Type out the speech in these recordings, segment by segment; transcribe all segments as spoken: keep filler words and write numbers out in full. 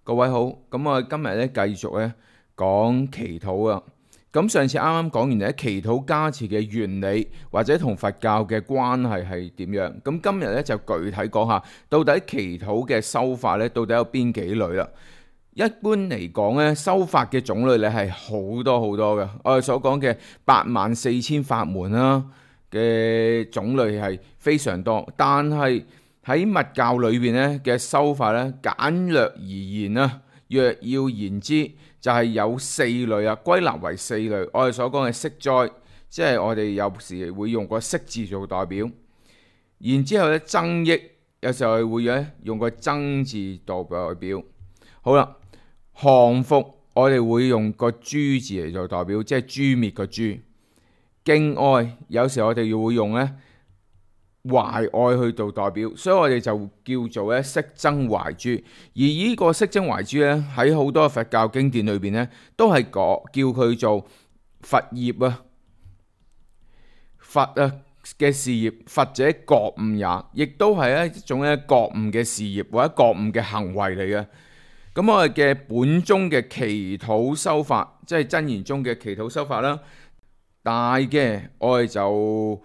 各位好，咁我今日咧繼續咧講祈禱啊。咁上次啱啱講完咧祈禱加持嘅原理，或者同佛教嘅關係係點樣。咁今日咧就具體講下，到底祈禱嘅修法咧，到底有邊幾類啦？一般嚟講咧，修法嘅種類咧係好多好多嘅。我哋所講嘅八萬四千法門啦嘅種類係非常多，但係喺密教裏邊咧嘅修法咧，簡略而言啦，若要言之，就係有四類啊，歸納為四類。我哋所講嘅息災，即係我哋有時會用個息字做代表。然之後咧，增益有時候會咧用個增字代表。好啦，降伏我哋會用個誅字嚟做代表，即係誅滅個誅。敬愛有時我哋要會用咧懷愛去做代表，所以我哋就叫做咧息增懷誅。而呢個息增懷誅咧，喺好多佛教經典裏邊咧，都係講叫佢做佛業啊，佛啊嘅事業，佛者覺悟也，亦都係一種咧覺悟嘅事業或者覺悟嘅行為嚟嘅。咁我哋嘅本宗嘅祈禱修法，即係真言宗嘅祈禱修法啦，大嘅我哋就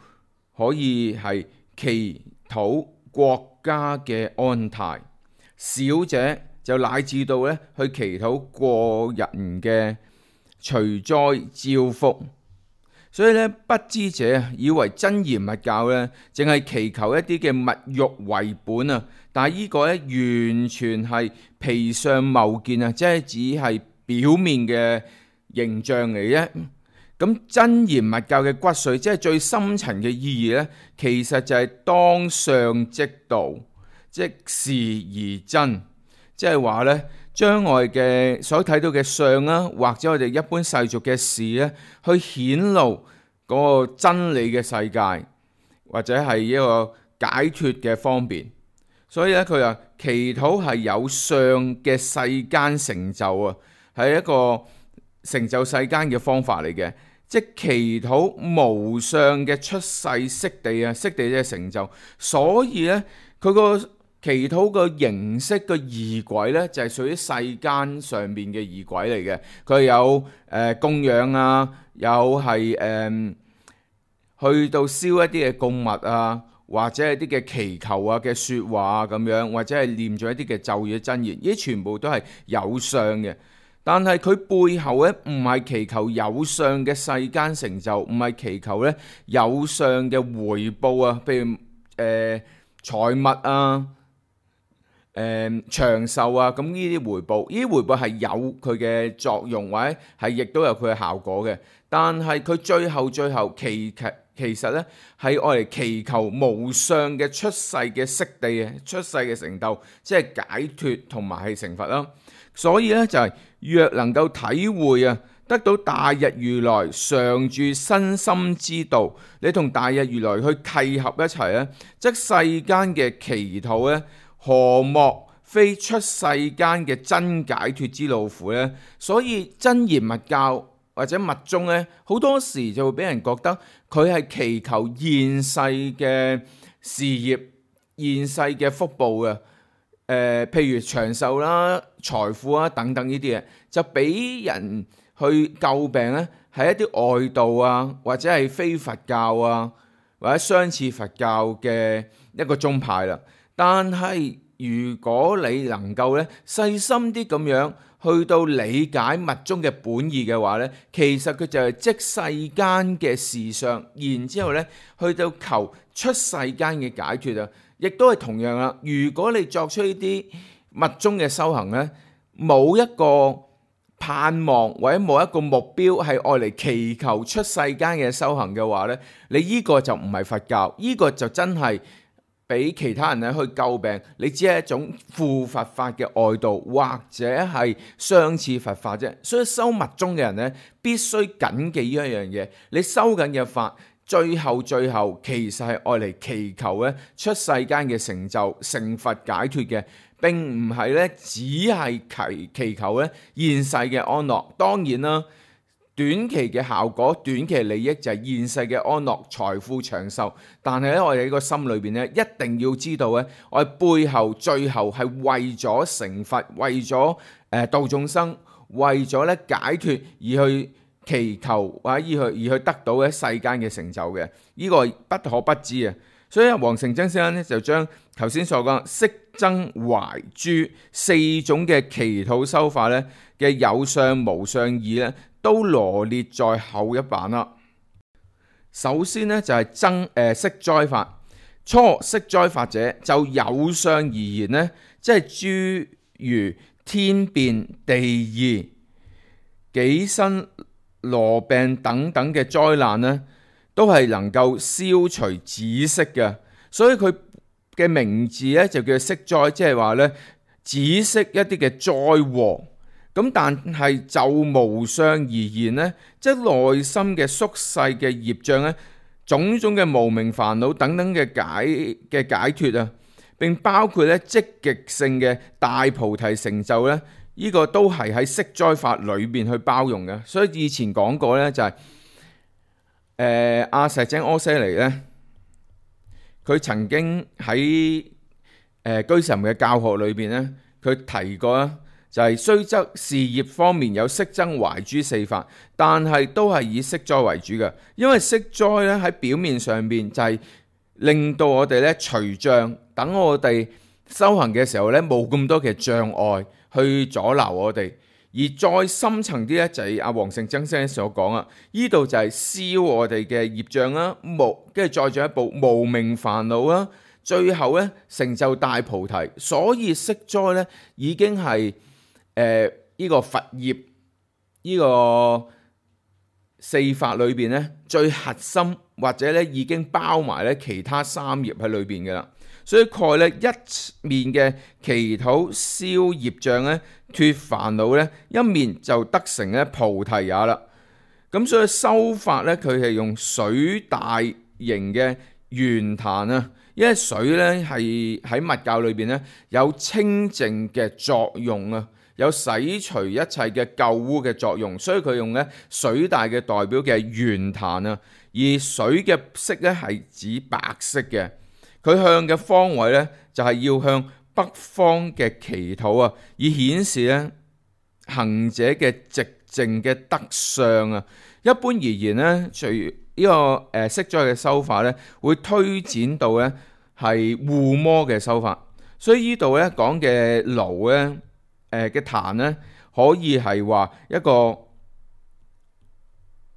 可以係祈禱國家嘅安泰，小者就乃至到咧去祈禱個人嘅除災招福。所以咧，不知者以為真言密教咧，淨係祈求一啲嘅物欲為本啊！但係呢個咧完全係皮相貌見啊，即係只係表面嘅形象嚟啫。咁真言密教嘅骨髓，即係最深層嘅意義咧，其實就係當相即道，即事而真，即係話咧，將我哋嘅所睇到嘅相啦，或者我哋一般世俗嘅事咧，去顯露嗰個真理嘅世界，或者係一個解脫嘅方便。所以咧，佢話祈禱係有相嘅世間成就啊，係一個成就世間嘅方法嚟嘅。即係祈禱無相嘅出世悉地啊，悉地嘅成就。所以咧，佢個祈禱個形式個儀軌咧，就係屬於世間上面嘅儀軌嚟嘅。佢有誒、呃、供養啊，有係誒、呃、去到燒一啲嘅供物啊，或者係啲嘅祈求啊嘅説話啊咁樣，或者係念咗一啲嘅咒語真言，呢啲全部都係有相嘅。但係佢背後咧唔係祈求有相嘅世間成就，唔係祈求咧有相嘅回報啊，譬如誒財物啊、誒、呃、長壽啊，咁呢啲回報，呢啲回報係有佢嘅作用，或者係亦都有佢嘅效果嘅。但係佢最後最後祈求其實咧係愛嚟祈求無相嘅出世嘅悉地啊，出世嘅成就，即係解脫同埋係成佛啦。所以咧就係、是、若能夠體會啊，得到大日如來常住身心之道，你同大日如來去契合一齊咧，則世間嘅祈禱咧，何莫非出世間嘅真解脫之路苦呢？所以真言密教或者密宗咧，好多時就會俾人覺得佢係祈求現世嘅事業、現世嘅福報嘅。誒、呃，譬如長壽啦、財富啊等等呢啲嘢，就俾人去詬病咧，係一啲外道啊，或者係非佛教啊，或者相似佛教嘅一個宗派啦。但係如果你能夠咧細心啲咁樣去到理解密宗嘅本意嘅話咧，其實佢就係即世間嘅事相，然之後咧去到求出世間嘅解脫啊！亦都係同樣啦。如果你作出呢啲密宗嘅修行咧，冇一個盼望或者冇一個目標係愛嚟祈求出世間嘅修行嘅話咧，你呢個就唔係佛教，呢、這個就真係俾其他人咧去詬病。你只係一種附佛法嘅外道，或者係相似佛法啫。所以修密宗嘅人咧，必須謹記呢一樣嘢，你修緊嘅法，最後最後其實係愛嚟祈求咧出世間嘅成就、成佛解脫嘅，並唔係咧只係祈祈求咧現世嘅安樂。當然啦，短期嘅效果、短期利益就係現世嘅安樂、財富、長壽。但係咧，我哋喺個心裏邊咧，一定要知道咧，我哋背後最後係為咗成佛、為咗誒度眾生、為咗咧解脫而去祈求或者而去而去得到咧世間嘅成就嘅。呢、這個不可不知啊！所以黃成真先生咧就將頭先所講息增懷誅四種嘅祈禱修法咧嘅有相無相義咧，都羅列在後一版啦。首先呢，就係增誒息災法。初息災法者，就有相而言呢，即係諸如天變、地異、己身、羅病等等嘅災難呢，都係能夠消除止息嘅。所以佢嘅名字呢，就叫息災，即係話呢，止息一啲嘅災禍。咁但係就無相而言呢，即係內心嘅宿世嘅業障呢，種種嘅無明煩惱等等嘅解嘅解脫啊，並包括咧積極性嘅大菩提成就咧，呢、這個都係喺息災法裏邊去包容嘅。所以以前講過咧，就係誒阿石井阿闍黎咧，佢曾經喺誒、呃、居士林嘅教學裏邊咧，佢提過啊。就係雖則事業方面有息增懷誅四法，但係都係以息災為主嘅。因為息災咧喺表面上邊就係令到我哋咧除障，等我哋修行嘅時候咧冇咁多嘅障礙去阻撓我哋。而再深層啲咧就係阿黃成真先生所講啊，呢度就係消我哋嘅業障啦，無跟住再進一步無明煩惱啦，最後咧成就大菩提。所以息災咧已經係。誒呢、呃這個佛業呢、這個四法裏邊咧最核心，或者咧已經包埋咧其他三業喺裏邊嘅啦。所以概咧一面嘅祈禱消業障咧脫煩惱咧，一面就得成咧菩提也啦。咁所以修法咧佢係用水大型嘅圓壇啊，因為水咧係喺密教裏邊咧有清淨嘅作用啊。有洗除一切嘅舊污嘅作用，所以佢用咧水大嘅代表嘅圓壇啊，而水嘅色咧係指白色嘅，佢向嘅方位咧就係要向北方嘅祈禱啊，以顯示咧行者嘅寂靜嘅德相啊。一般而言咧，除呢個誒息災嘅修法咧，會推展到咧係護摩嘅修法，所以呢度咧講嘅爐咧。誒嘅壇咧，可以係話一個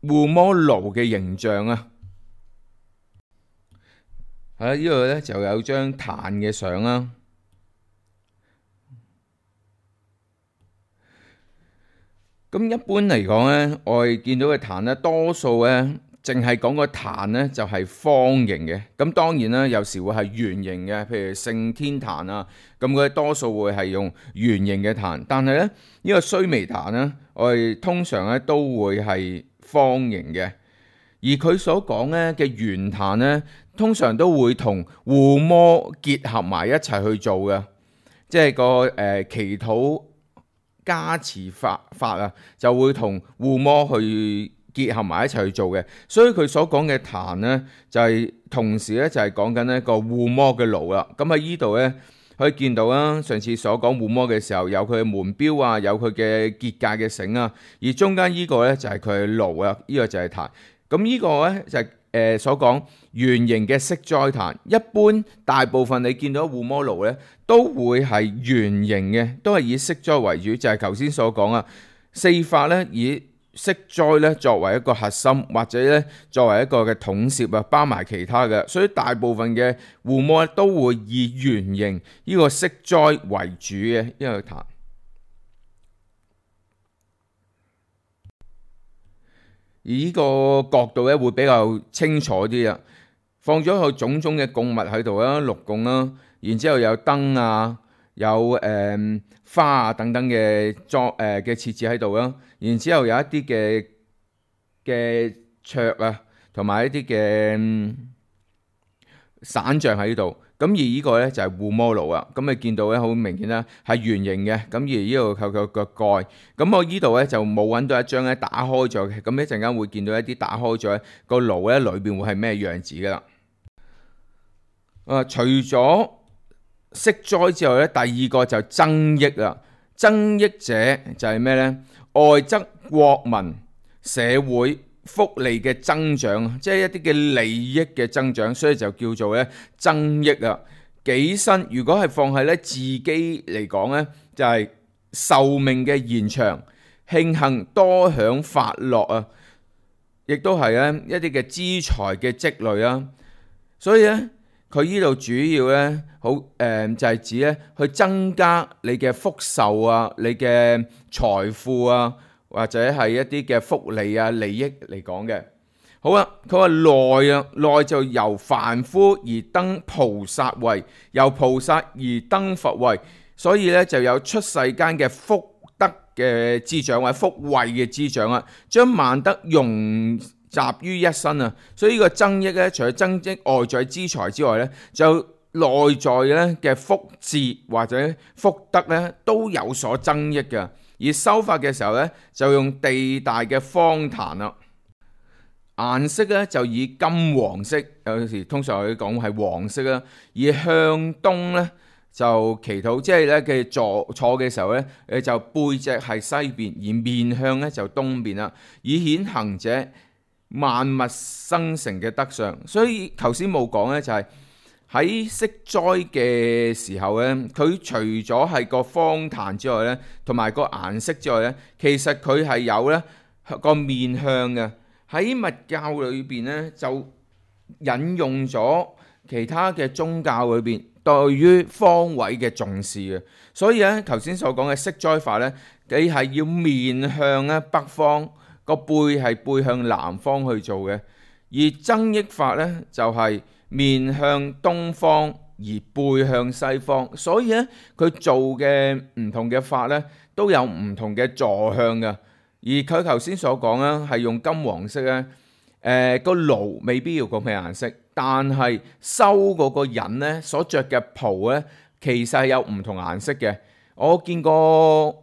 護摩爐嘅形象啊。係啦，呢度咧就有張壇嘅相啦。咁一般嚟講咧，我哋見到嘅壇咧，多數咧淨係講個壇咧就係方形嘅。咁當然啦，有時會係圓形嘅，譬如聖天壇啊。咁佢多數會係用圓形嘅壇，但係咧呢、呢個須彌壇咧，我哋通常咧都會係方形嘅。而佢所講咧嘅圓壇咧，通常都會同護摩結合埋一齊去做嘅，即係個誒、呃、祈禱加持法法啊，就會同護摩去結合埋一齊去做嘅。所以佢所講嘅壇咧，就係、是、同時咧就係講緊一個護摩嘅爐啦。咁喺呢度咧。可以見到啦，上次所講護摩嘅時候，有佢嘅門標啊，有佢嘅結界嘅繩啊，而中間呢個咧就係佢嘅爐啊，呢、這個就係壇。咁呢個咧就係、是、誒、呃、所講圓形嘅息災壇。一般大部分你見到護摩爐咧，都會係圓形嘅，都係以息災為主，就係頭先所講啊，四法咧以息災咧作為一個核心，或者咧作為一個嘅統攝啊，包埋其他嘅，所以大部分嘅護摩都會以圓形呢個息災為主嘅一個壇。而呢個角度咧會比較清楚啲啊，放咗個種種嘅供物喺度啦，六供啦，然之後有燈啊，有誒、呃、花啊等等嘅裝誒嘅設置喺度啦。然之後有一啲嘅嘅桌啊，同埋一啲嘅、嗯、散像喺度。咁而呢個咧就係護摩爐啊。咁你見到咧好明顯啦，係圓形嘅。咁而呢度靠個個蓋。咁我呢度咧就冇揾到一張咧打開咗嘅。咁一陣間會見到一啲打開咗個爐咧裏邊會係咩樣子噶啦。啊，除咗息災之外咧，第二個就增益啦。增益者就係咩呢？外則國民社會福利嘅增長，即係一啲嘅利益嘅增長，所以就叫做咧增益啊。己身如果係放喺咧自己嚟講呢，就係、是、壽命嘅延長，慶幸多享發樂啊，亦都係咧一啲嘅資財嘅積累啊。所以咧。佢呢度主要咧，好誒、呃、就係、是、指咧去增加你嘅福壽啊，你嘅財富啊，或者係一啲嘅福利啊、利益嚟講嘅。好啦，佢話內啊，內就由凡夫而登菩薩位，由菩薩而登佛位，所以咧就有出世間嘅福德嘅滋長或者福慧嘅滋長啊，將萬德融集於一身啊，所以呢個增益咧，除咗增益外在資財之外咧，就內在咧嘅福智或者福德咧都有所增益嘅。而修法嘅時候咧，就用地大嘅方壇啦，顏色咧就以金黃色，有時通常我哋講係黃色啦。而向東咧就祈禱，即係咧嘅坐坐嘅時候咧，誒就背脊係西邊，而面向咧就東邊啦，以顯行者萬物生成嘅德相。所以頭先冇講咧，就係喺息災嘅時候咧，佢除咗係個方壇之外咧，同埋個顏色之外咧，其實佢係有咧個面向嘅。喺密教裏邊咧，就引用咗其他嘅宗教裏邊對於方位嘅重視嘅。所以咧，頭先所講嘅息災法咧，你係要面向咧北方。個背係背向南方去做嘅，而增益法呢，就係、是、面向東方而背向西方，所以呢，佢做嘅唔同嘅法呢，都有唔同嘅坐向嘅。而佢頭先所講呢，係用金黃色呢，誒、呃、個爐未必要個咩顏色，但係收嗰個人呢，所着嘅袍呢，其實係有唔同顏色嘅。我見過。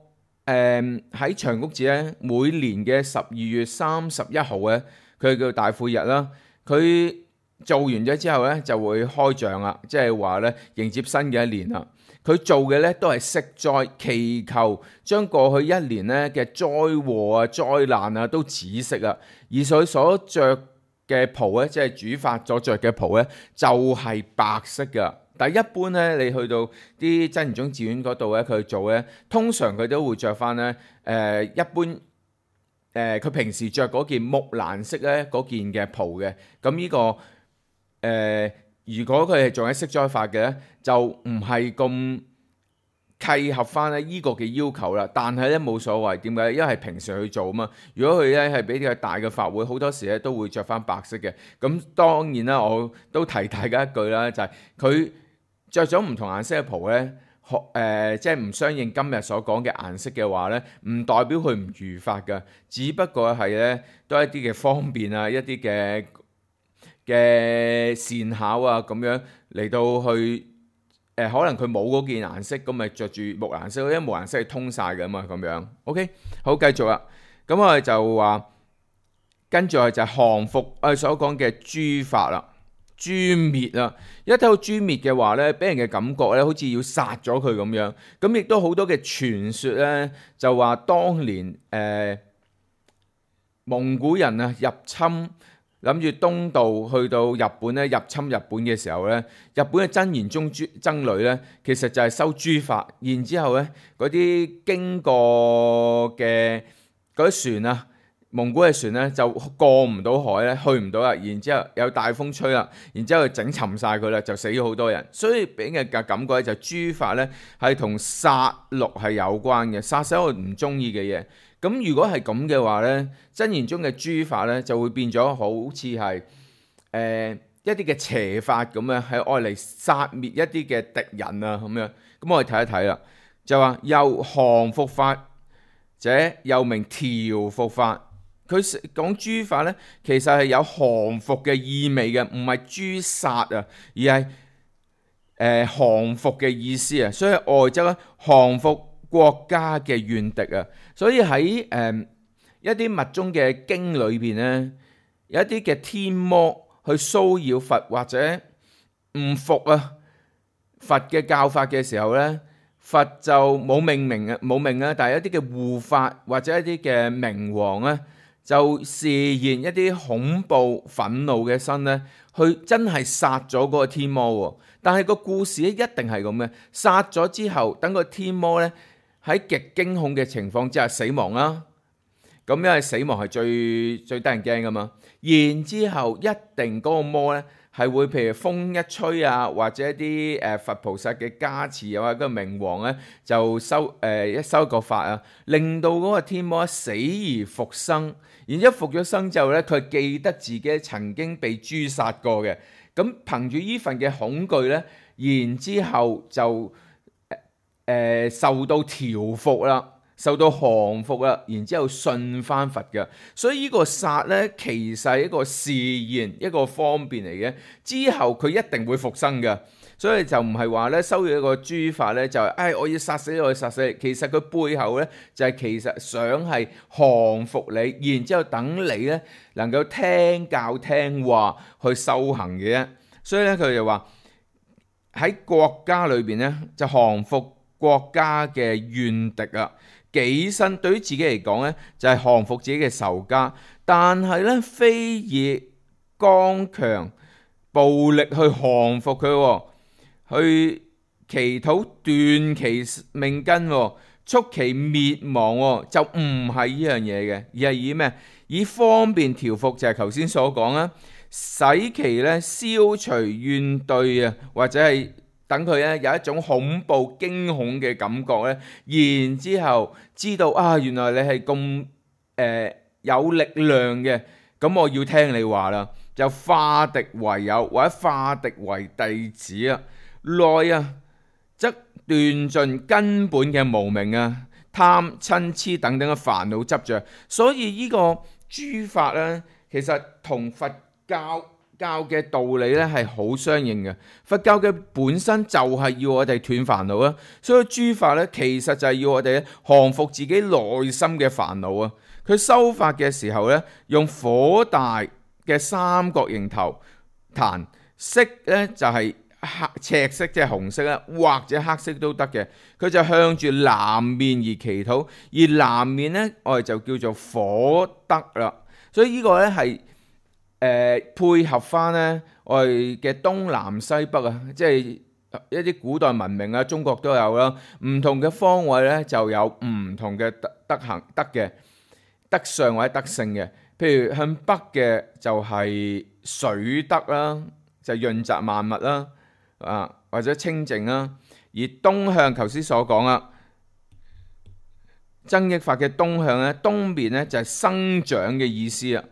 誒喺長谷寺咧，每年嘅十二月三十一號咧，佢叫大晦日啦。佢做完咗之後咧，就會開帳啦，即係話咧迎接新嘅一年啦。佢做嘅咧都係息災，祈求將過去一年咧嘅災禍啊、災難啊都止息啊。而佢所着嘅袍咧，即係主法所着嘅袍咧，就係、是、白色噶。但係一般咧，你去到啲真言宗寺院嗰度咧，佢做咧，通常佢都會着翻咧，誒、呃、一般誒佢、呃、平時着嗰件木蘭色咧嗰件嘅袍嘅。咁呢、這個誒、呃，如果佢係做緊息災法嘅咧，就唔係咁契合翻咧依個嘅要求啦。但係咧冇所謂，點解？因為係平時去做啊嘛。如果佢咧係比較大嘅法會，好多時咧都會着翻白色嘅。咁當然啦，我都提大家一句啦，就係、是、佢。着咗唔同顏色嘅袍咧，學誒、呃、即係唔相應今日所講嘅顏色嘅話咧，唔代表佢唔如法㗎，只不過係咧都係一啲嘅方便啊，一啲嘅嘅善巧啊咁樣嚟到去誒、呃，可能佢冇嗰件顏色，咁咪着住木顏色，因為木顏色係通晒㗎嘛，咁樣。OK，好，繼續啦。咁我哋就話跟住係就係降伏我哋所講嘅誅法啦。誅滅啊！一睇到誅滅嘅話咧，俾人嘅感覺咧，好似要殺咗佢咁樣。咁亦都好多嘅傳說咧，就話當年誒、呃、蒙古人啊入侵，諗住東渡去到日本咧，入侵日本嘅時候咧，日本嘅真言宗僧侶咧，其實就係修誅法，然之後咧嗰啲經過嘅嗰啲船啊。蒙古嘅船咧就過唔到海咧，去唔到啦。然之後有大風吹啦，然之後整沉晒佢啦，就死咗好多人。所以俾人嘅感覺咧就誅法咧係同殺戮係有關嘅，殺死我唔中意嘅嘢。咁如果係咁嘅話咧，真言中嘅誅法咧就會變咗好似係誒一啲嘅邪法咁樣，係愛嚟殺滅一啲嘅敵人啊咁樣。咁我哋睇一睇啦，就話又降伏法者又名調伏法。佢講誅法咧，其實係有降服嘅意味嘅，唔係誅殺啊，而係誒、呃、降服嘅意思啊，所以外則咧降服國家嘅怨敵啊，所以喺誒、呃、一啲密宗嘅經裏邊咧，有一啲嘅天魔去騷擾佛或者唔服啊佛嘅教法嘅時候咧，佛就冇命名啊，冇命啊，但係一啲嘅護法或者一啲嘅明王咧，就示現一啲恐怖憤怒嘅身咧，去真係殺咗嗰個天魔。但係個故事咧一定係咁嘅，殺咗之後，等個天魔咧喺極驚恐嘅情況之下死亡啦。咁因為死亡係最最得人驚噶嘛。然之後一定嗰個魔咧係會譬如風一吹啊，或者一啲誒佛菩薩嘅加持啊，或者個明王咧就收誒、呃、一收個法啊，令到嗰個天魔死而復生。然之後復咗生之後咧，佢記得自己曾經被誅殺過嘅。咁憑住呢份嘅恐懼咧，然之後就誒、呃、受到調服啦，受到降服啦，然之後信翻佛嘅。所以呢個殺咧，其實係一個示現，一個方便嚟嘅。之後佢一定會復生嘅，所以就唔係話咧收咗一個誅法咧，就係、是、誒、哎、我要殺死你，我要殺死你。其實佢背後咧就係、是、其實想係降服你，然之後等你咧能夠聽教聽話去修行嘅啫。所以咧佢就話喺國家裏邊咧就降服國家嘅怨敵啊。己身對於自己嚟講咧就係、是、降服自己嘅仇家，但係咧非以剛強暴力去降服佢，去祈禱斷其命根，促其滅亡，就唔係呢樣嘢嘅，而係以咩？以方便調服，就係頭先所講啦，使其咧消除怨懟啊，或者係等佢咧有一種恐怖驚恐嘅感覺咧，然之後知道啊，原來你係咁誒有力量嘅，咁我要聽你話啦，就化敵為友或者化敵為弟子啊。內啊則斷盡根本嘅無明啊、貪嗔痴等等嘅煩惱執着。所以呢個誅法咧，其實同佛教教嘅道理咧係好相應嘅。佛教嘅本身就係要我哋斷煩惱啊，所以誅法咧其實就係要我哋降服自己內心嘅煩惱啊。佢修法嘅時候咧，用火大嘅三角形頭壇，色咧就係黑赤色，即係紅色啦，或者黑色都得嘅。佢就向住南面而祈禱，而南面咧我哋就叫做火德啦。所以呢個咧係誒配合翻咧我哋嘅東南西北啊，即係一啲古代文明啊，中國都有啦。唔同嘅方位咧就有唔同嘅德德行德嘅德相或者德性嘅。譬如向北嘅就係水德啦，就潤澤萬物啦。啊，或者清淨啦，而東向頭先所講啦，增益法嘅東向咧，東面咧就係生長嘅意思啦，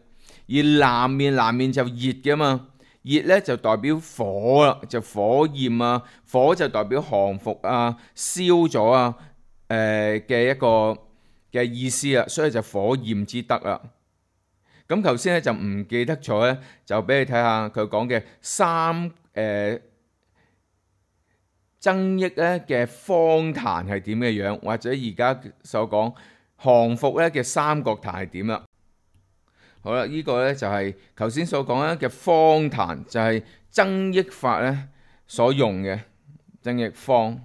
而南面南面就熱嘅嘛，熱咧就代表火啦，就火焰啊，火就代表降服啊、燒咗啊，誒、呃、嘅一個嘅意思啊，所以就火焰之德啦。咁頭先咧就唔記得咗咧，就俾你睇下佢講嘅三誒。呃增益咧嘅方壇係點嘅樣，或者而家所講降服咧嘅三角壇係點啦。好啦，呢、這個咧就係頭先所講咧嘅方壇，就係增益法咧所用嘅增益方。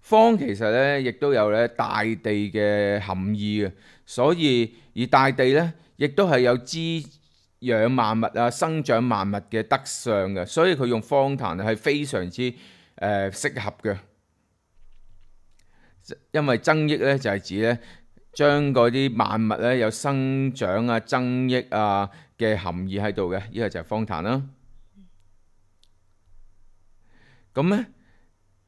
方其實咧亦都有咧大地嘅含義嘅，所以而大地咧亦都係有滋養萬物啊、生長萬物嘅德相嘅，所以佢用方壇係非常之誒、呃、適合嘅，因為增益咧就係、是、指咧將嗰啲萬物咧有生長啊、增益啊嘅含義喺度嘅，呢個就係方壇啦。咁咧，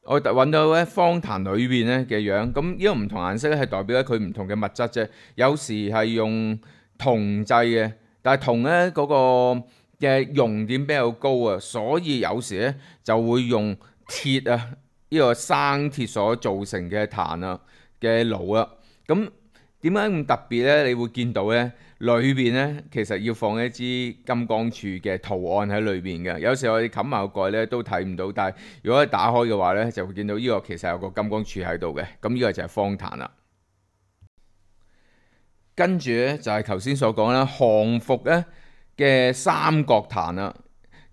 我揾到咧方壇裏邊咧嘅樣，咁呢個唔同顏色咧係代表咧佢唔同嘅物質啫。有時係用銅製嘅，但係銅咧嗰個嘅熔點比較高啊，所以有時咧就會用鐵啊，呢、這個生鐵所造成嘅壇啊嘅爐啊，咁點解咁特別咧？你會見到咧，裏邊咧其實要放一支金剛杵嘅圖案喺裏邊嘅。有時我哋冚埋個蓋咧都睇唔到，但係如果打開嘅話咧，就會見到呢個其實有個金剛杵喺度嘅。咁呢個就係方壇啦。跟住咧就係頭先所講啦，降伏咧嘅三角壇啦。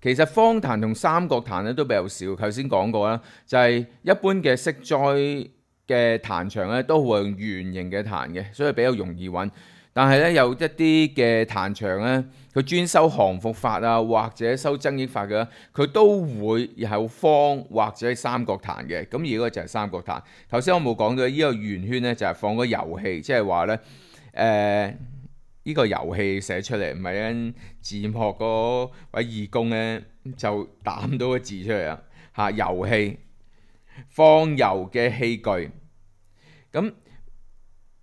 其實方壇同三角壇咧都比較少。頭先講過啦，就係、是、一般嘅息災嘅壇場咧都會用圓形嘅壇嘅，所以比較容易揾。但係咧有一啲嘅壇場咧，佢專修降伏法啊，或者修增益法嘅，佢都會有方或者三角壇嘅。咁而嗰個就係三角壇。頭先我冇講到呢個圓圈咧，就係放個遊戲，即係話咧。誒、呃，呢、這個遊戲寫出嚟唔係因字幕嗰位義工咧就打到個字出嚟啊！嚇，遊戲放油嘅器具，咁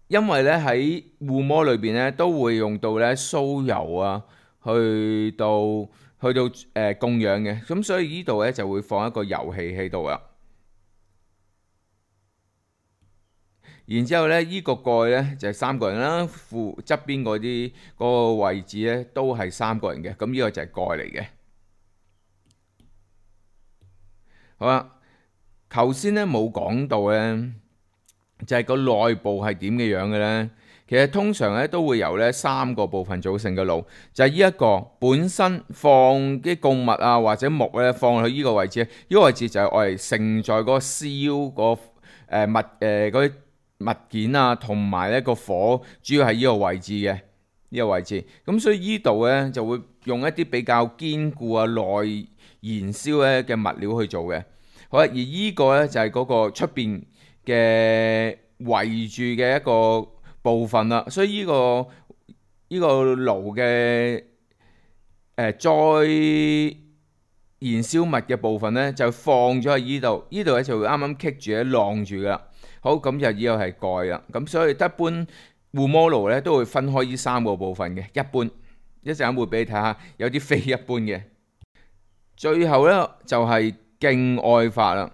因為咧喺護摩裏邊咧都會用到咧酥油啊，去到去到誒、呃、供養嘅，咁所以呢度咧就會放一個油器喺度啦。然之後咧，依、這個蓋咧就係、是、三個人啦，附側邊嗰啲嗰個位置咧都係三個人嘅，咁、這、呢個就係蓋嚟嘅。好啦，頭先咧冇講到咧，就係、是、個內部係點嘅樣嘅咧。其實通常咧都會由咧三個部分組成嘅爐，就係呢一個本身放啲供物啊或者木咧放去呢個位置，呢、這個位置就係我哋盛載嗰個燒個誒物誒嗰啲。物件啊，同埋呢個火主要係呢個位置嘅呢、呢個位置，咁所以呢度呢，就會用一啲比較堅固啊耐燃燒咧嘅物料去做嘅。好啦，而呢個呢，就係、是、嗰個出邊嘅圍住嘅一個部分啦，所以呢、呢個呢、呢個爐嘅誒再燃燒物嘅部分呢，就放咗喺呢度，呢度咧就會啱啱棘住咧晾住噶啦。好，咁就呢個係蓋啦，咁所以一般護摩爐咧都會分開呢三個部分嘅。一般一陣間會俾你睇下，有啲非一般嘅。最後咧就係敬愛法啦，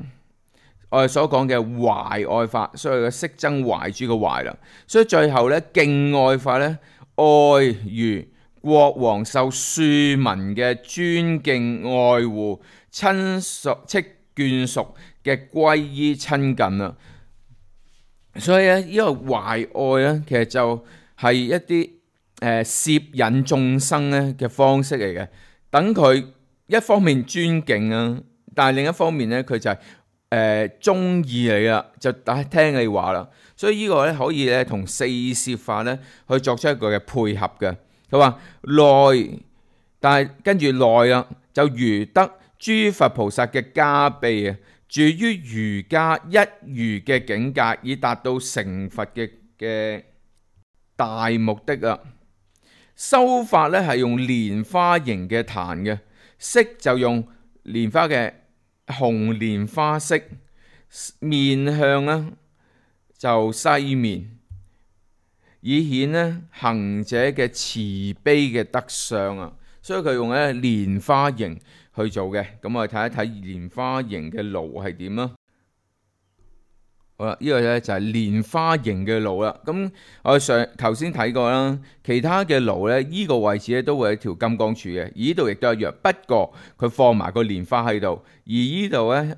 我哋所講嘅懷愛法，所以嘅息增懷誅嘅懷啦。所以最後咧敬愛法咧，愛如國王受庶民嘅尊敬愛護、親屬戚眷屬嘅歸依親近啦。所以咧，呢個懷愛咧，其實就係一啲誒攝引眾生咧嘅方式嚟嘅。等佢一方面尊敬啊，但係另一方面咧，佢就係誒中意你啦，就打聽你話啦。所以呢個咧可以咧同四攝法咧去作出一個嘅配合嘅。佢話內，但係跟住內啊，就如得諸佛菩薩嘅加被啊。住於瑜伽一如嘅境界，以達到成佛嘅嘅大目的啊！修法咧係用蓮花形嘅壇嘅，色就用蓮花嘅紅蓮花色，面向咧就西面，以顯咧行者嘅慈悲嘅德相啊！所以佢用咧蓮花形去做嘅，咁我哋睇一睇蓮花形嘅爐係點啦。好啦，呢個咧就係蓮花形嘅爐啦。咁我上頭先睇過啦，其他嘅爐咧，呢個位置咧都會有條金剛杵嘅，而呢度亦都一樣。不過佢放埋個蓮花喺度，而呢度咧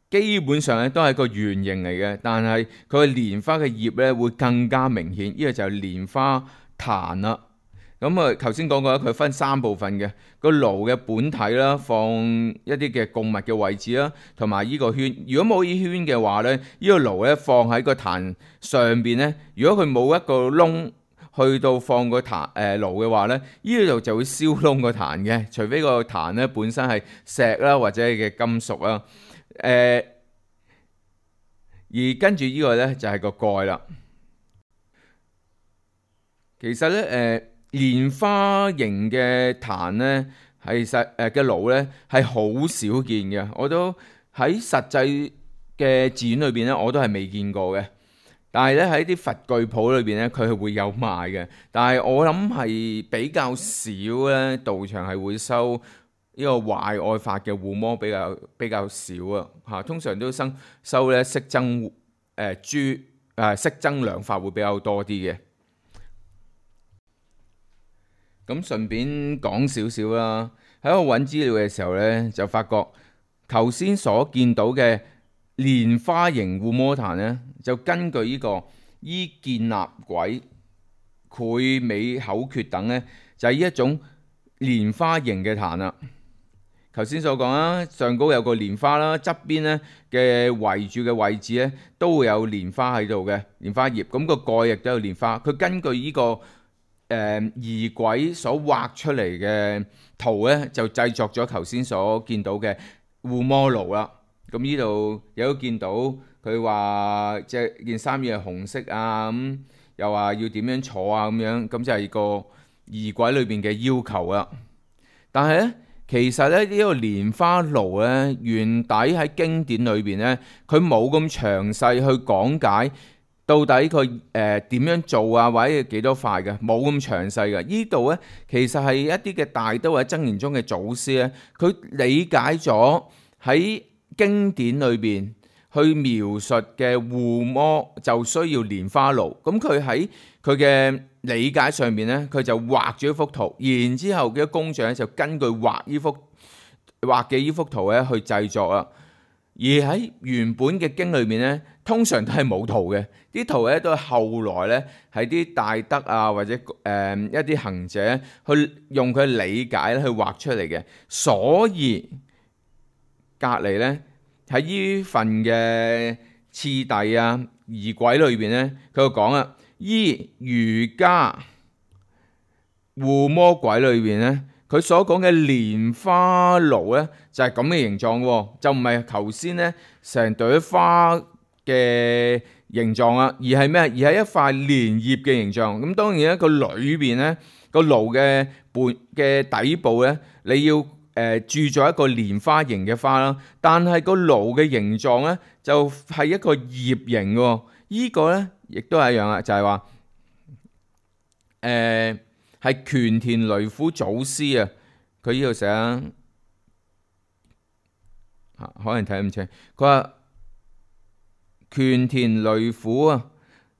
基本上咧都係個圓形嚟嘅，但係佢嘅蓮花嘅葉咧會更加明顯。呢個就係蓮花壇啦。咁啊，頭先講過佢分三部分嘅，個爐嘅本體啦，放一啲嘅供物嘅位置啦，同埋呢個圈。如果冇呢圈嘅話咧，呢個爐咧放喺個壇上邊咧，如果佢冇一個窿去到放個壇誒爐嘅話咧，呢度就會燒燶個壇嘅，除非個壇咧本身係石啦或者係嘅金屬啦。誒、呃，而跟住呢個咧就係個蓋啦。其實咧誒。呃蓮花形嘅壇咧，係實誒嘅爐咧係好少見嘅。我都喺實際嘅寺院裏邊咧，我都係未見過嘅。但係咧喺啲佛具鋪裏邊咧，佢係會有賣嘅。但係我諗係比較少咧，道場係會收呢個懷愛法嘅護摩比較比較少啊。嚇，通常都收收咧息增誒誅誒息增良法會比較多啲嘅。咁順便講少少啦，喺度揾資料嘅時候呢，就發覺頭先所見到嘅蓮花形護摩壇呢，就根據呢個依建立軌、潰美口訣等呢，就係呢一種蓮花形嘅壇啦。頭先所講啦，上高有個蓮花啦，側邊呢嘅圍住嘅位置呢，都會有蓮花喺度嘅蓮花葉，咁、個蓋亦都有蓮花。佢根據呢、這個誒儀軌所畫出嚟嘅圖呢，就製作咗頭先所見到嘅護摩爐啦。咁呢度有都見到佢話即係件衫要係紅色啊，咁、嗯、又話要點樣坐啊咁樣，咁就係個儀軌裏邊嘅要求啦。但係呢。其實咧呢、這個蓮花爐咧，原底喺經典裏邊咧，佢冇咁詳細去講解到底佢誒點樣做啊，或者幾多塊嘅，冇咁詳細嘅。呢度咧其實係一啲嘅大都或者箴言中嘅祖師咧，佢理解咗喺經典裏邊去描述嘅護摩就需要蓮花爐。咁佢喺佢嘅理解上面咧，佢就畫咗一幅圖，然之後嘅工匠咧就根據畫呢幅畫嘅呢幅圖咧去製作啊。而喺原本嘅經裏面咧，通常都係冇圖嘅，啲圖咧都係後來咧係啲大德啊或者誒、呃、一啲行者去用佢理解咧去畫出嚟嘅。所以隔離咧喺呢份嘅次第啊儀軌裏邊咧，佢就講啊。依瑜伽護摩軌裏邊咧，佢所講嘅蓮花爐咧就係咁嘅形狀喎，就唔係頭先咧成朵花嘅形狀啊，而係咩？而係一塊蓮葉嘅形狀。咁當然咧，個裏邊咧個爐嘅半嘅底部咧，你要誒鑄咗一個蓮花形嘅花啦，但係個爐嘅形狀咧就係一個葉形嘅。依個咧亦都係一樣啊，就係話誒係權田雷虎祖師啊，佢呢度寫啊，可能睇唔清。佢話權田雷虎啊，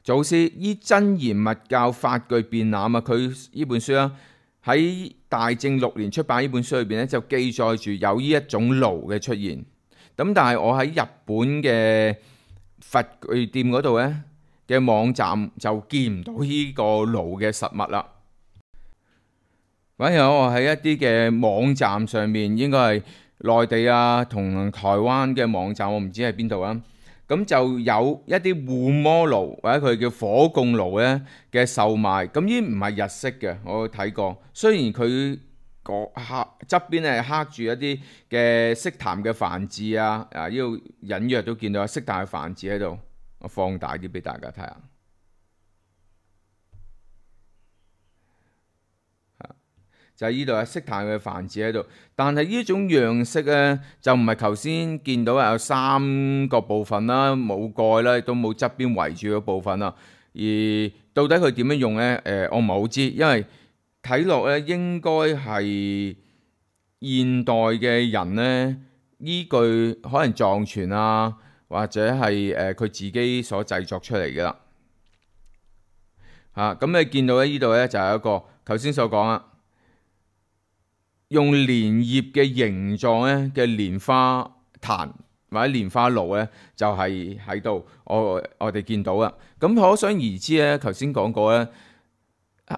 祖師依真言密教法句辯覽啊，佢呢本書啊喺大正六年出版呢本書裏邊咧，就記載住有呢一種爐嘅出現。咁但係我喺日本嘅佛具店嗰度咧嘅網站就見唔到呢個爐嘅實物啦。反而我喺一啲嘅網站上面，應該係內地啊同台灣嘅網站，我唔知喺邊度啊。咁就有一啲護摩爐或者佢叫火供爐咧嘅售賣。咁呢唔係日式嘅，我睇過。雖然佢個刻側邊係刻住一啲嘅悉檀嘅梵字啊，啊呢度隱約都見到悉檀嘅梵字喺度。我放大啲俾大家睇下，就係呢度有悉檀嘅梵字喺度。但係呢種樣式咧，就唔係頭先見到有三個部分啦，冇蓋啦，亦都冇側邊圍住嘅部分啦。而到底佢點樣用咧？誒、呃，我唔係好知，因為睇落咧應該係現代嘅人咧，依據可能藏傳啊。或者係誒佢自己所製作出嚟嘅啦，嚇咁你見到咧呢度咧就係一個頭先所講啊，用蓮葉嘅形狀咧嘅蓮花壇或者蓮花爐咧就係喺度，我我哋見到啦。咁可想而知咧，頭先講過咧，誒、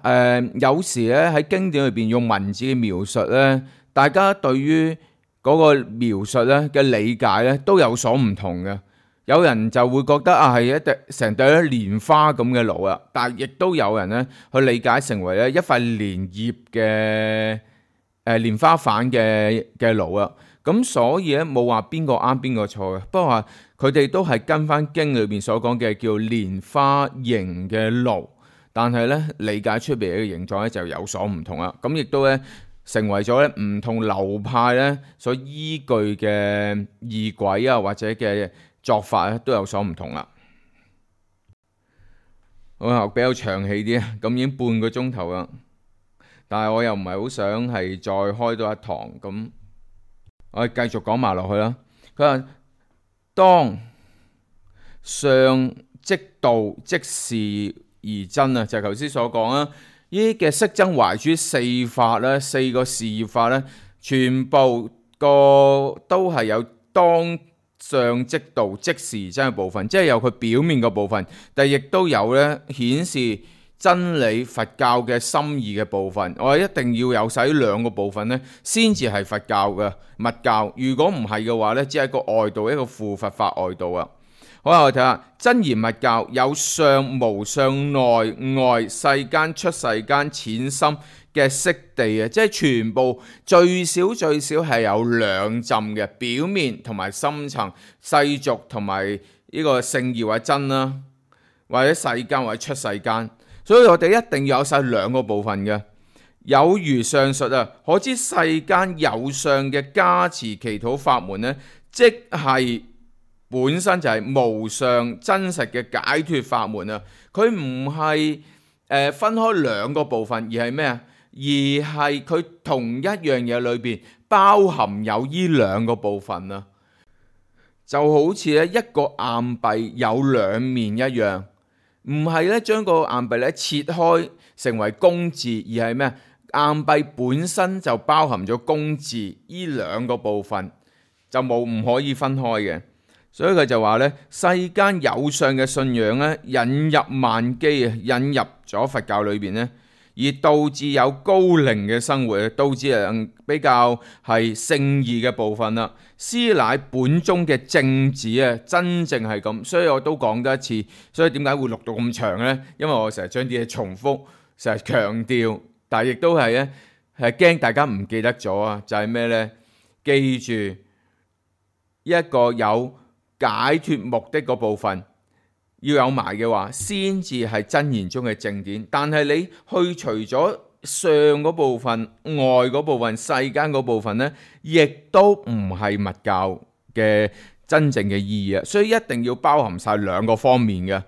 呃、有時咧喺經典裏邊用文字嘅描述咧，大家對於嗰個描述咧嘅理解咧都有所唔同嘅，有人就會覺得啊係一隻成對蓮花咁嘅爐啊，但係亦都有人咧去理解成為咧一塊蓮葉嘅誒蓮花瓣嘅嘅爐啊。咁所以咧冇話邊個啱邊個錯嘅，不過話佢哋都係跟翻經裏邊所講嘅叫蓮花形嘅爐，但係咧理解出嚟嘅形狀咧就有所唔同啦。咁亦都咧成為咗咧唔同流派咧所依據嘅儀軌啊，或者嘅作法咧都有所唔同啦。我比較長氣啲啊，咁已經半個鐘頭啦，但係我又唔係好想係再開多一堂，咁我哋繼續講埋落去啦。佢話當上即道即是而真啊，就係頭先所講啦。呢啲嘅息增懷誅四法咧，四個事業法咧，全部個都係有當上即道即時真嘅部分，即係有佢表面嘅部分，但係亦都有咧顯示真理佛教嘅心意嘅部分。我哋一定要有晒呢兩個部分咧，先至係佛教嘅密教。如果唔係嘅話咧，只係一個外道，一個附佛法外道啊。好啦，我睇下真言密教有上無上內外世間出世間淺深嘅悉地啊，即係全部最少最少係有兩浸嘅表面同埋深層世俗同埋呢個聖義或者真啦，或者世間或者出世間，所以我哋一定要有晒兩個部分嘅。有如上述啊，可知世間有上嘅加持祈禱法門呢，即係本身就係無上真實嘅解脫法門啊！佢唔係誒分開兩個部分，而係咩啊？而係佢同一樣嘢裏邊包含有呢兩個部分啊！就好似咧一個硬幣有兩面一樣，唔係咧將個硬幣咧切開成為公字，而係咩？硬幣本身就包含咗公字，呢兩個部分就冇唔可以分開嘅。所以佢就話咧，世間有上嘅信仰咧，引入萬機啊，引入咗佛教裏邊咧，而導致有高靈嘅生活，導致人比較係聖義嘅部分啦。師乃本宗嘅正旨啊，真正係咁。所以我都講多一次，所以點解會錄到咁長呢？因為我成日將啲嘢重複，成日強調，但係亦都係咧係驚大家唔記得咗啊！就係咩呢？記住一個有解脫目的嗰部分要有埋嘅話，先至係真言中嘅正典。但係你去除咗上嗰部分、外嗰部分、世間嗰部分呢，亦都唔係密教嘅真正嘅意義啊！所以一定要包含晒兩個方面嘅，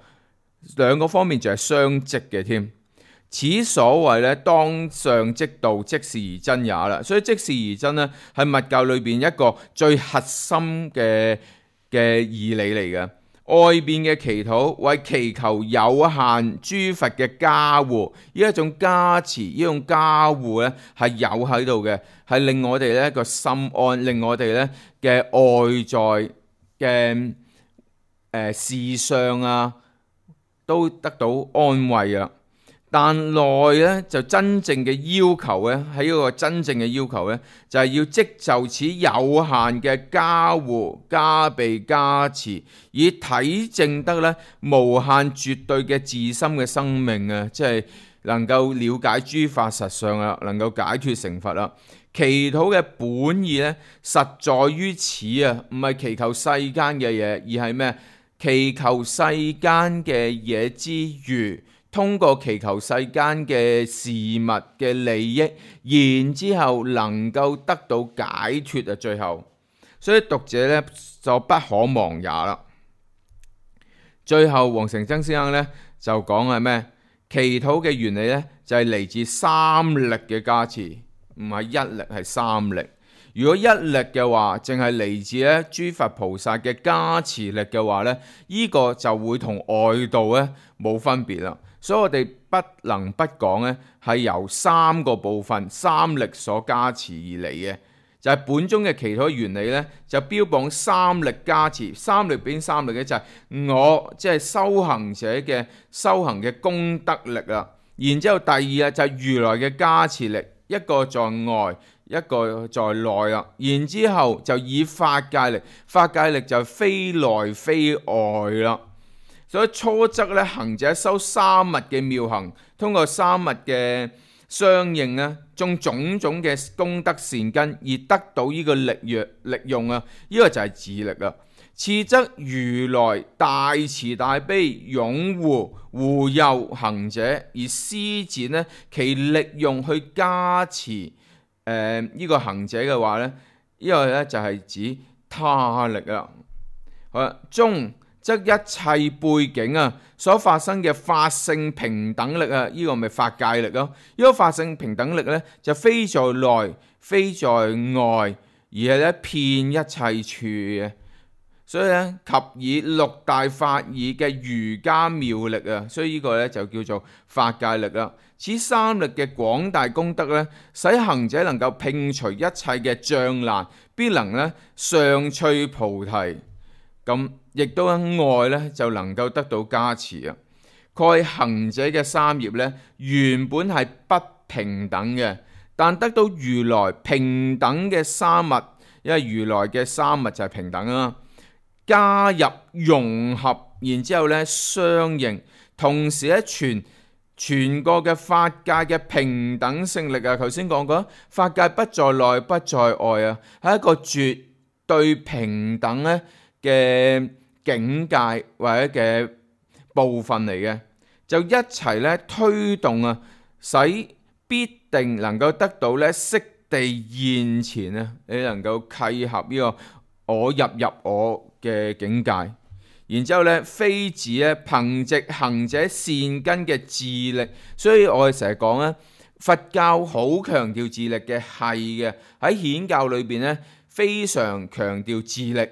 兩個方面就係相即嘅添。此所謂咧，當上即道，即是而真也啦。所以即是而真呢，係密教裏邊一個最核心嘅嘅義理嚟嘅。外邊嘅祈禱為祈求有限諸佛嘅加護，呢一種加持，呢種加護咧係有喺度嘅，係令我哋咧個心安，令我哋咧嘅外在嘅誒、呃、事上啊都得到安慰啊。但內咧就真正嘅要求咧，喺一個真正嘅要求咧，就係、是、要即就此有限嘅加護加被加持，以體證得咧無限絕對嘅自心嘅生命啊，即係能夠了解諸法實相啊，能夠解脫成佛啦。祈禱嘅本意咧，實在於此啊，唔係祈求世間嘅嘢，而係咩？祈求世間嘅嘢之餘，通過祈求世間嘅事物嘅利益，然之後能夠得到解脫啊！最後，所以讀者咧就不可忘也啦。最後，黃成曾先生咧就講係咩？祈禱嘅原理咧就係嚟自三力嘅加持，唔係一力，係三力。如果一力嘅話，淨係嚟自咧諸佛菩薩嘅加持力嘅話咧，呢個就會同外道咧冇分別啦。所以我哋不能不講咧，係由三個部分三力所加持而嚟嘅，就係、是、本宗嘅祈禱原理咧，就標榜三力加持。三力邊三力咧？就係我即係、就是、修行者嘅修行嘅功德力啦。然之後第二啊，就係如來嘅加持力，一個在外，一個在內啦。然之後就以法界力，法界力就非內非外啦。所以初則咧，行者修三密嘅妙行，通過三密嘅相應咧，種種種嘅功德善根，而得到呢個力藥力用啊！呢、這個就係自力啊。次則如來大慈大悲，擁護護佑行者，而施展呢其力用去加持誒呢、呃這個行者嘅話咧，呢、這個咧就係指他力啊。好啦，中則一切背景啊，所發生嘅法性平等力啊，呢、這個咪法界力咯。呢、這個法性平等力咧，就非在內，非在外，而係咧遍一切處嘅。所以咧及以六大法爾嘅瑜伽妙力啊，所以呢個咧就叫做法界力啦。此三力嘅廣大功德咧，使行者能夠摒除一切嘅障難，必能咧上趣菩提。咁亦都喺外咧就能夠得到加持啊。蓋行者嘅三業咧原本係不平等嘅，但得到如來平等嘅三物，因為如來嘅三物就係平等啦，加入融合，然之後咧相應，同時咧全全個嘅法界嘅平等性力啊，頭先講過，法界不在內不在外啊，係一個絕對平等咧嘅境界或者嘅部分嚟嘅，就一齊咧推動啊，使必定能夠得到咧悉地現前啊，你能夠契合呢個我入入我嘅境界。然之後咧，非止咧憑藉行者善根嘅自力，所以我哋成日講咧，佛教好強調自力嘅，係嘅，喺顯教裏邊咧非常強調自力，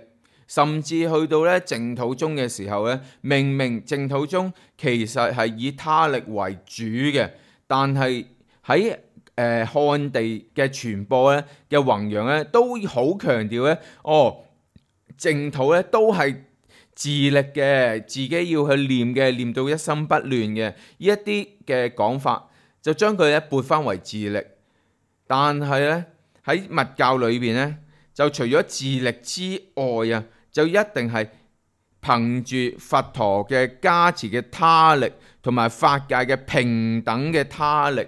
甚至去到咧淨土宗嘅時候咧，明明淨土宗其實係以他力為主嘅，但係喺誒漢地嘅傳播咧嘅弘揚咧，都好強調咧，哦淨土咧都係自力嘅，自己要去念嘅，念到一心不亂嘅，呢一啲嘅講法就將佢咧撥翻為自力。但係咧喺密教裏邊咧，就除咗自力之外啊，就一定係憑住佛陀嘅加持嘅他力，同埋法界嘅平等嘅他力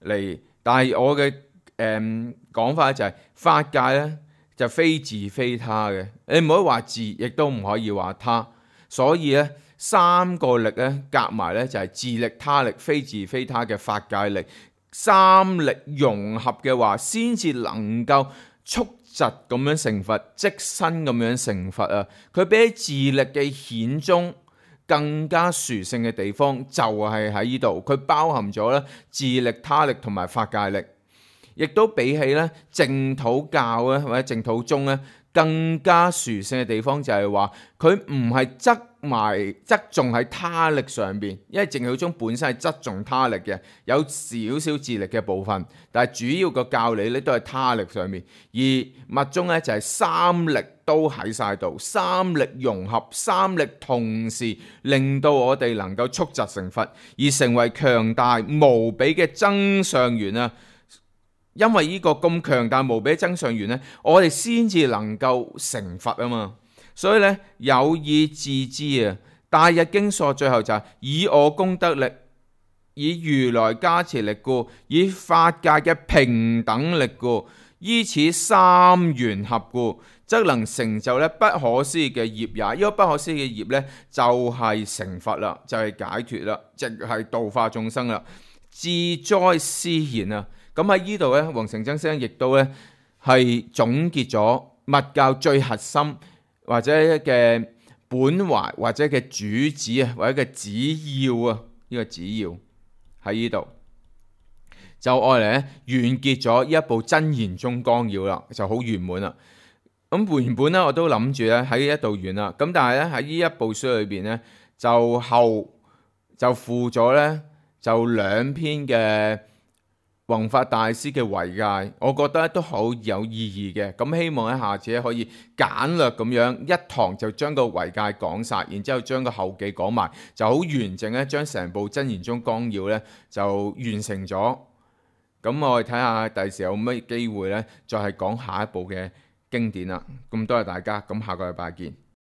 嚟。但係我嘅誒講法就係、是、法界咧就非自非他嘅，你唔可以話自，亦都唔可以話他。所以咧三個力咧夾埋咧就係自力、他力、非自非他嘅法界力，三力融合嘅話，先至能夠速疾咁樣成佛，即身咁樣成佛啊！佢比起自力嘅顯宗更加殊勝嘅地方就係喺呢度，佢包含咗咧自力、他力同埋法界力。亦都比起咧淨土教咧或者淨土宗咧更加殊勝嘅地方就係話佢唔係側埋側重喺他力上邊，因為淨土宗本身係側重他力嘅，有少少自力嘅部分，但係主要個教理咧都係他力上面。而密宗咧就係三力都喺晒度，三力融合，三力同時令到我哋能夠速疾成佛，而成為強大無比嘅增上緣啊！因為呢個咁強大無比增上緣呢，我哋先至能夠成佛啊嘛。所以呢，有意自知啊，大日經疏最後就係、是、以我功德力，以如來加持力故，以法界嘅平等力故，依此三緣合故，則能成就咧不可思議嘅業也。呢、這個不可思議嘅業呢，就係、是、成佛啦，就係、是、解脫啦，即係度化眾生啦。自哉斯言啊！咁喺呢度咧，黃成曾先生亦都咧係總結咗密教最核心或者嘅本懷或者嘅主旨啊，或者嘅旨要啊，呢、這個旨要喺呢度就愛嚟咧完結咗呢一部真言宗綱要啦，就好圓滿啦。咁原本咧我都諗住咧喺呢一度完啦，咁但係咧喺呢一部書裏邊咧就後就附咗咧就兩篇嘅弘法大師嘅遺戒，我覺得都好有意義嘅。咁希望咧下次可以簡略咁樣一堂就將個遺戒講晒，然之後將個後記講埋，就好完整咧，將成部真言宗綱要咧就完成咗。咁我哋睇下第時有乜機會咧，再係講下一部嘅經典啦。咁多謝大家，咁下個禮拜見。